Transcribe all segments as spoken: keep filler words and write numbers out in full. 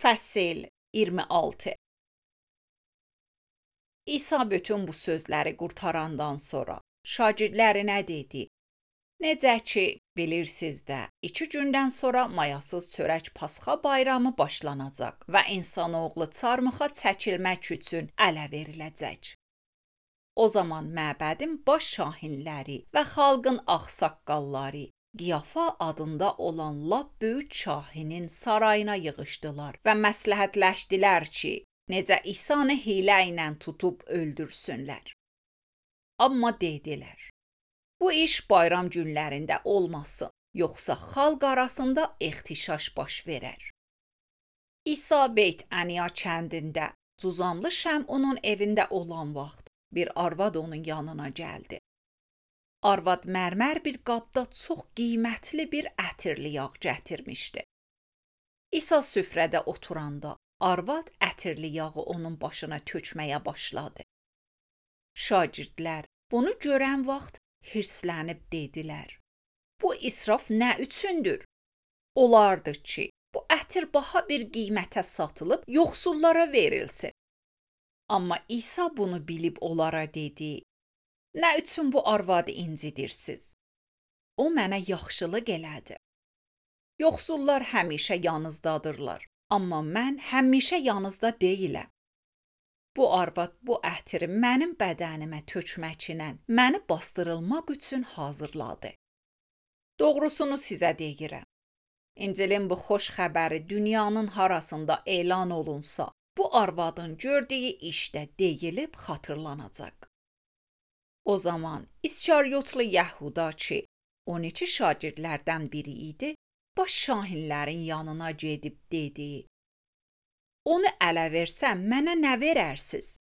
Fəsil iyirmi altı. İsa bütün bu sözləri qurtarandan sonra şagirdlərinə dedi: Necə ki, bilirsiniz də, iki gündən sonra mayasız çörək Pasxa bayramı başlanacaq və insanoğlu çarmıxa çəkilmək üçün ələ veriləcək. O zaman məbədin baş şahinləri və xalqın ağsaqqalları Qiyafa adında olan lap böyük şahinin sarayına yığışdılar və məsləhətləşdilər ki, necə İsanı hiylə ilə tutub öldürsünlər. Amma dedilər: Bu iş bayram günlərində olmasın, yoxsa xalq arasında ehtişaş baş verər. İsa Beyt-Əniya kəndində Cuzamlı Şəmunun evində olan vaxt bir arvad onun yanına gəldi. Arvad mərmər bir qabda çox qiymətli bir ətirli yağ gətirmişdi. İsa süfrədə oturanda arvad ətirli yağı onun başına tökməyə başladı. Şagirdlər bunu görən vaxt hirslənib dedilər: Bu israf nə üçündür? Olardı ki, bu ətir baha bir qiymətə satılıb yoxsullara verilsin. Amma İsa bunu bilib onlara dedi: Nə üçün bu arvadı incidirsiniz? O mənə yaxşılıq elədi. Yoxsullar həmişə yanınızdadırlar, amma mən həmişə yanınızda deyiləm. Bu arvad bu ətiri mənim bədənimə tökməklə məni bastırılmaq üçün hazırladı. Doğrusunu sizə deyirəm. İncilin bu xoş xəbəri dünyanın harasında elan olunsa, bu arvadın gördüyü işdə deyilib xatırlanacaq. O zaman İskariyotlu Yəhuda ki, on iki şagirdlərdən biri idi, baş şahinlərin yanına gedib dedi: Onu ələ versəm mənə nə verərsiz?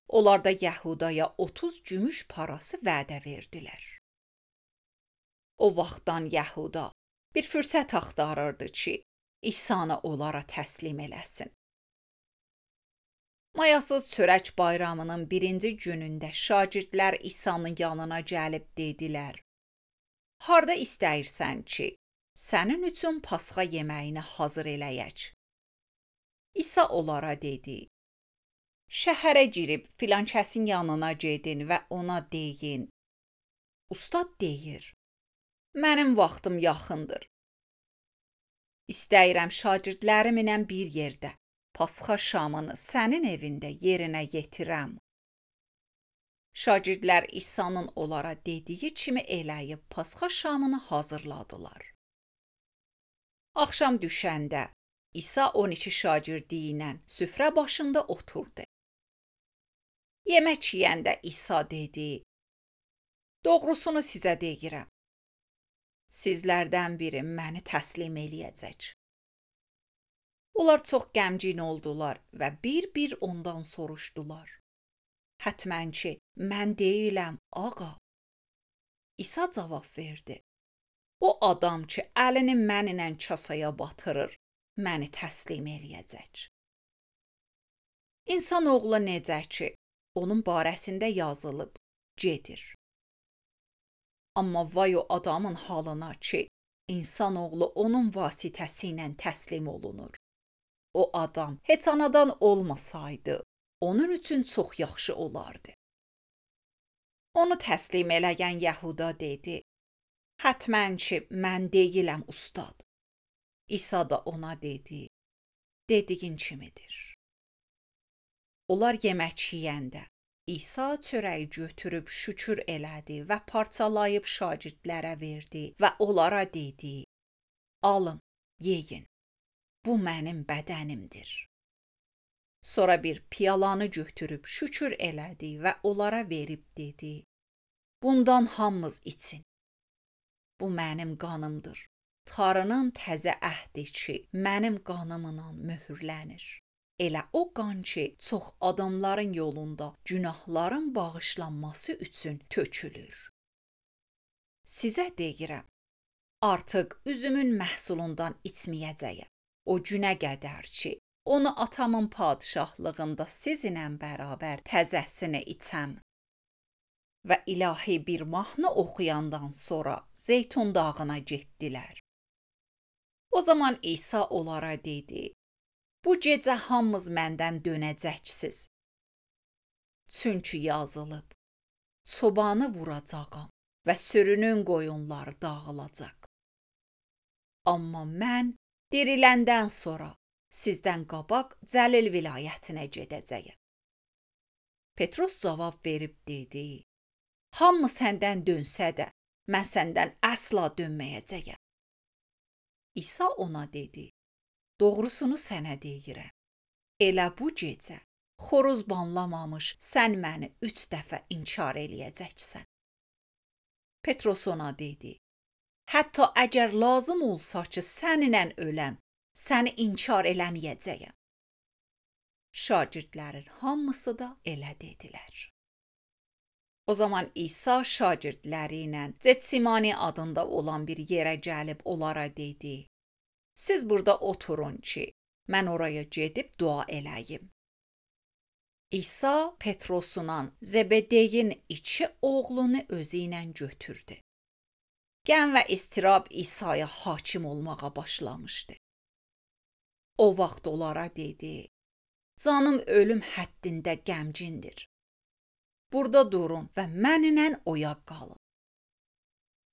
Onlar da Yəhudaya otuz gümüş parası vədə verdilər. O vaxtdan Yəhuda bir fürsət axtarırdı ki, İsanı onlara təslim eləsin. Mayasız çörək bayramının birinci günündə şagirdlər İsa'nın yanına gəlib dedilər: Harda istəyirsən ki, sənin üçün Pasxa yeməyini hazır eləyək? İsa onlara dedi: Şəhərə girib filan kəsin yanına gedin və ona deyin: Ustad deyir, mənim vaxtım yaxındır. İstəyirəm şagirdlərimlə bir yerdə Pasxa şamını sənin evində yerinə yetirəm. Şagirdlər İsa'nın onlara dediyi kimi eləyib Pasxa şamını hazırladılar. Axşam düşəndə İsa on iki şagirdi ilə süfrə başında oturdu. Yemək yeyəndə İsa dedi: Doğrusunu sizə deyirəm. Sizlərdən biri məni təslim eləyəcək. Onlar çox qəmgin oldular və bir-bir ondan soruşdular: Hətmən ki, mən deyiləm, ağa. İsa cavab verdi: O adam ki, əlini mənlə kasaya batırır, məni təslim eləyəcək. İnsanoğlu necə ki, onun barəsində yazılıb, gedir. Amma vay o adamın halına ki, insanoğlu onun vasitəsilə təslim olunur. O adam heç anadan olmasaydı, onun üçün çox yaxşı olardı. Onu təslim eləyən Yəhuda dedi: Hətmən ki, mən deyiləm, ustad. İsa da ona dedi: Dediyin kimidir. Onlar yemək yeyəndə İsa çörəyi götürüb şükür elədi və parçalayıb şagirdlərə verdi və onlara dedi: Alın, yeyin. Bu mənim bədənimdir. Sonra bir piyalanı götürüb şükür elədi və onlara verib dedi: Bundan hamınız için. Bu mənim qanımdır. Tanrının təzə əhdi ki, mənim qanımla möhürlənir. Elə o qan ki, çox adamların yolunda günahların bağışlanması üçün tökülür. Sizə deyirəm, artıq üzümün məhsulundan içməyəcəyəm. O günə qədər ki, onu atamın padişahlığında sizinlə bərabər təzəsini içəm. Və ilahi bir mahnı oxuyandan sonra Zeytun dağına getdilər. O zaman İsa onlara dedi: Bu gecə hamınız məndən dönəcəksiniz. Çünki yazılıb, çobanı vuracağam və sürünün qoyunları dağılacaq. Amma mən diriləndən sonra sizdən qabaq Cəlil vilayətinə gedəcəyəm. Petros cavab verib dedi, hamı səndən dönsə də, mən səndən əsla dönməyəcəyəm. İsa ona dedi, doğrusunu sənə deyirəm. Elə bu gecə xoruz banlamamış sən məni üç dəfə inkar eləyəcəksən. Petros ona dedi, hətta əgər lazım olsa ki, səninlə öləm, səni inkar eləməyəcəyəm. Şagirdlərin hamısı da elə dedilər. O zaman İsa şagirdləri ilə Getsimani adında olan bir yerə gəlib onlara dedi, siz burada oturun ki, mən oraya gedib dua eləyim. İsa Petrosla Zebedeyin iki oğlunu özü ilə götürdü. Qəm və istirab İsa'ya hakim olmağa başlamışdı. O vaxt onlara dedi, canım ölüm həddində qəmcindir. Burada durun və mənimlə oyaq qalın.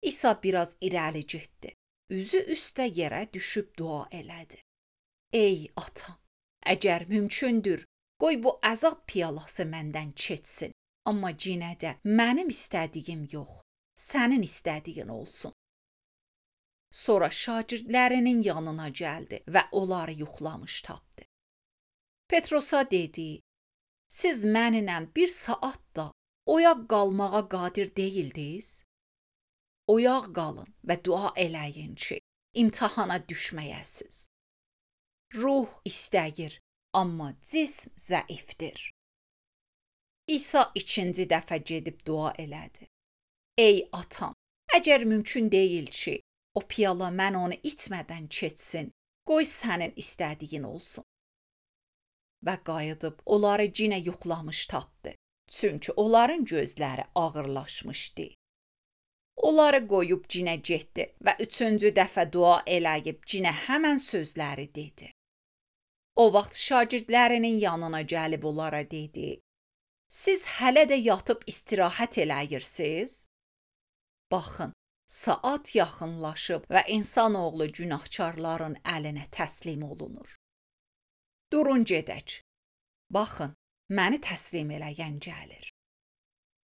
İsa biraz irəli getdi. Üzü üstə yerə düşüb dua elədi. Ey atam, əgər mümkündür, qoy bu əzab piyalası məndən keçsin. Amma yenə də mənim istədiyim yox, sənin istədiyin olsun. Sonra şagirdlərinin yanına gəldi və onları yuxlamış tapdı. Petrosa dedi, siz mənimlə bir saat da oyaq qalmağa qadir deyildiniz? Oyaq qalın və dua eləyin ki, imtahana düşməyəsiz. Ruh istəyir, amma cism zəifdir. İsa ikinci dəfə gedib dua elədi. Ey atam, əgər mümkün deyil ki, o piyala mən onu itmədən keçsin, qoy sənin istədiyin olsun. Və qayıdıb onları cinə yuxlamış tapdı, çünki onların gözləri ağırlaşmışdı. Onları qoyub cinə getdi və üçüncü dəfə dua eləyib cinə həmən sözləri dedi. O vaxt şagirdlərinin yanına gəlib onlara dedi, siz hələ də yatıb istirahət eləyirsiniz? Baxın, saat yaxınlaşıb və insanoğlu günahkarların əlinə təslim olunur. Durun gedək. Baxın, məni təslim eləyən gəlir.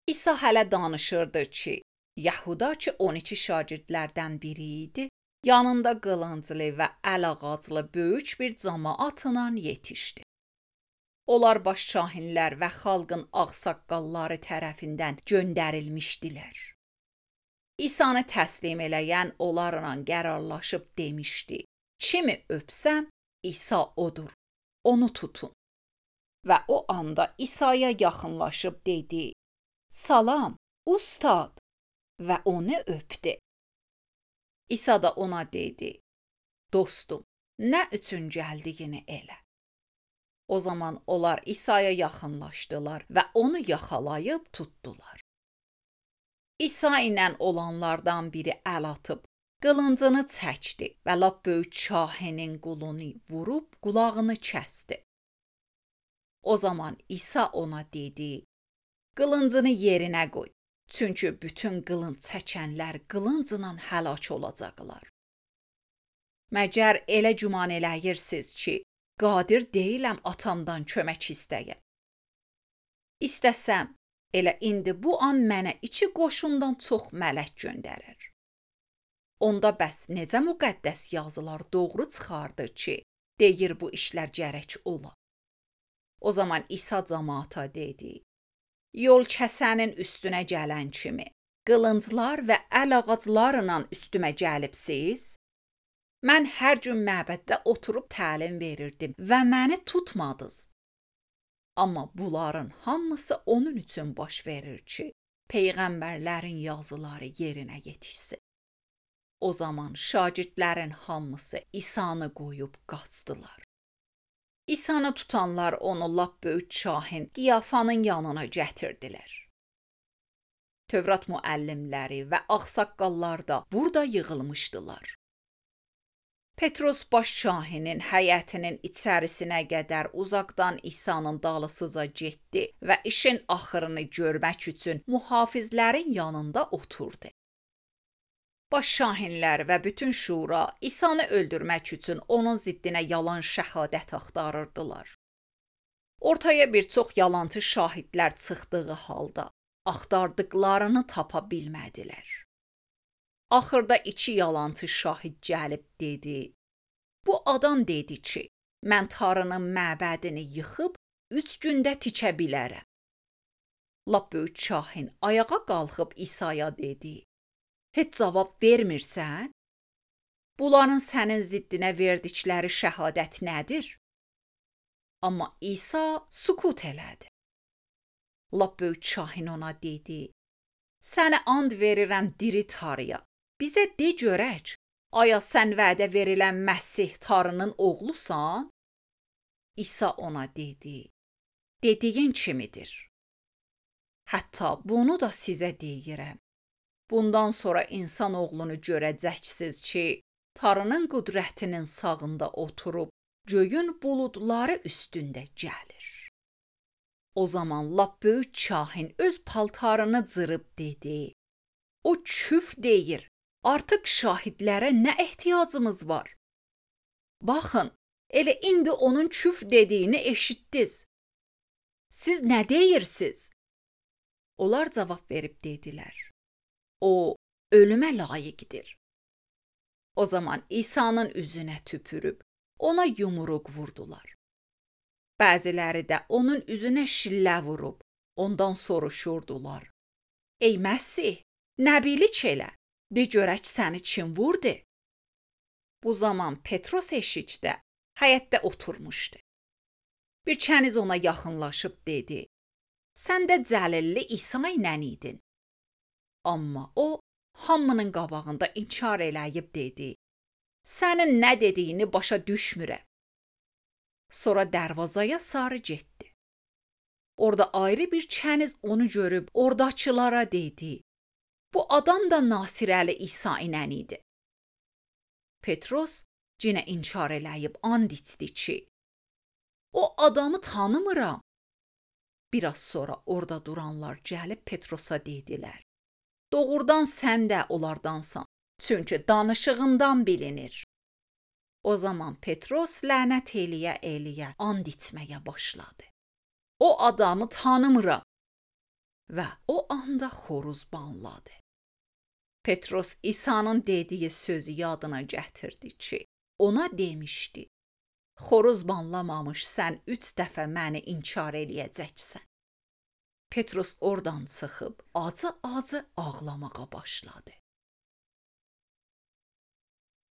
İsa hələ danışırdı ki, Yahuda ki on iki şagirdlərdən biri idi, yanında qılınclı və əl ağaclı böyük bir cəmaatla yetişdi. Onlar baş şahinlər və xalqın ağsaqqalları tərəfindən göndərilmişdilər. İsanı təslim eləyən onlarla qərarlaşıb demişdi, kimi öpsəm, İsa odur, onu tutun. Və o anda İsa'ya yaxınlaşıb dedi, salam, ustad, və onu öpdü. İsa da ona dedi, dostum, nə üçün gəldiyini elə. O zaman onlar İsa'ya yaxınlaşdılar və onu yaxalayıb tutdular. İsa ilə olanlardan biri əl atıb, qılıncını çəkdi və lap böyük şahinin qulunu vurub qulağını kəsdi. O zaman İsa ona dedi, qılıncını yerinə qoy, çünki bütün qılınc çəkənlər qılıncla həlak olacaqlar. Məgər elə güman eləyirsiniz ki, qadir deyiləm atamdan kömək istəyə. İstəsəm, elə indi bu an mənə iki qoşundan çox mələk göndərər. Onda bəs necə müqəddəs yazılar doğru çıxardı ki, deyir bu işlər gərək ola. O zaman İsa cəmaata dedi, yol kəsənin üstünə gələn kimi, qılınclar və əl ağaclarla üstümə gəlibsiz? Mən hər gün məbəddə oturub təlim verirdim və məni tutmadınız. Amma bunların hamısı onun üçün baş verir ki, peyğəmbərlərin yazıları yerinə yetişsin. O zaman şagirdlərin hamısı İsanı qoyub qaçdılar. İsanı tutanlar onu lap böyük şahin Qiyafanın yanına gətirdilər. Tövrat müəllimləri və ağsaqqallar da burada yığılmışdılar. Petros baş şahinin həyətinin içərisinə qədər uzaqdan İsa'nın dalısıca getdi və işin axırını görmək üçün mühafizlərin yanında oturdu. Baş şahinlər və bütün şura İsa'nı öldürmək üçün onun ziddinə yalan şəhadət axtarırdılar. Ortaya bir çox yalancı şahidlər çıxdığı halda axtardıqlarını tapa bilmədilər. Axırda iki yalancı şahid gəlib dedi: "Bu adam dedi ki, mən Tanrının məbədini yıxıb üç gündə tikə bilərəm." Lap böyük şahin ayağa qalxıb İsa'ya dedi: "Heç cavab vermirsən? Bunların sənin ziddinə verdikləri şəhadət nədir?" Amma İsa sükut elədi. Lap böyük şahin ona dedi: "Sənə and verirəm diri Tanrıya. Bizə de görək, aya sən vədə verilən Məsih Tanrının oğlusan?" İsa ona dedi: "Dediyin kimidir. Hətta bunu da sizə deyirəm. Bundan sonra insan oğlunu görəcəksiniz ki, Tanrının qüdrətinin sağında oturub göyün buludları üstündə gəlir." O zaman lap böyük şahin öz paltarını cırıb dedi: "O küf deyir. Artıq şahidlərə nə ehtiyacımız var? Baxın, elə indi onun küf dediyini eşitdiniz. Siz nə deyirsiniz?" Onlar cavab verib dedilər: "O ölümə layiqdir." O zaman İsa'nın üzünə tüpürüb ona yumruq vurdular. Bəziləri də onun üzünə şillə vurub ondan soruşurdular: "Ey Məsih, nəbilik elə, de görək səni kim vurdu?" Bu zaman Petros eşikdə, həyətdə oturmuşdu. Bir kəniz ona yaxınlaşıb dedi: "Sən də Cəlilli İsa ilə idin." Amma o hamının qabağında inkar eləyib dedi: "Sənin nə dediyini başa düşmürəm." Sonra dərvazaya sarı getdi. Orada ayrı bir kəniz onu görüb oradakılara dedi: "Bu adam da Nasirəli İsa ilə idi." Petros yenə inkar eləyib and içdi ki, "O adamı tanımıram." Biraz sonra orada duranlar gəlib Petrosa dedilər: "Doğrudan sən də onlardansan, çünki danışığından bilinir." O zaman Petros lənət eləyə-eləyə and içməyə başladı: "O adamı tanımıram." Və o anda xoruz banladı. Petros İsa'nın dediyi sözü yadına gətirdi ki, ona demişdi: "Xoruz banlamamış sən üç dəfə məni inkar eləyəcəksən." Petros oradan çıxıb acı-acı ağlamağa başladı.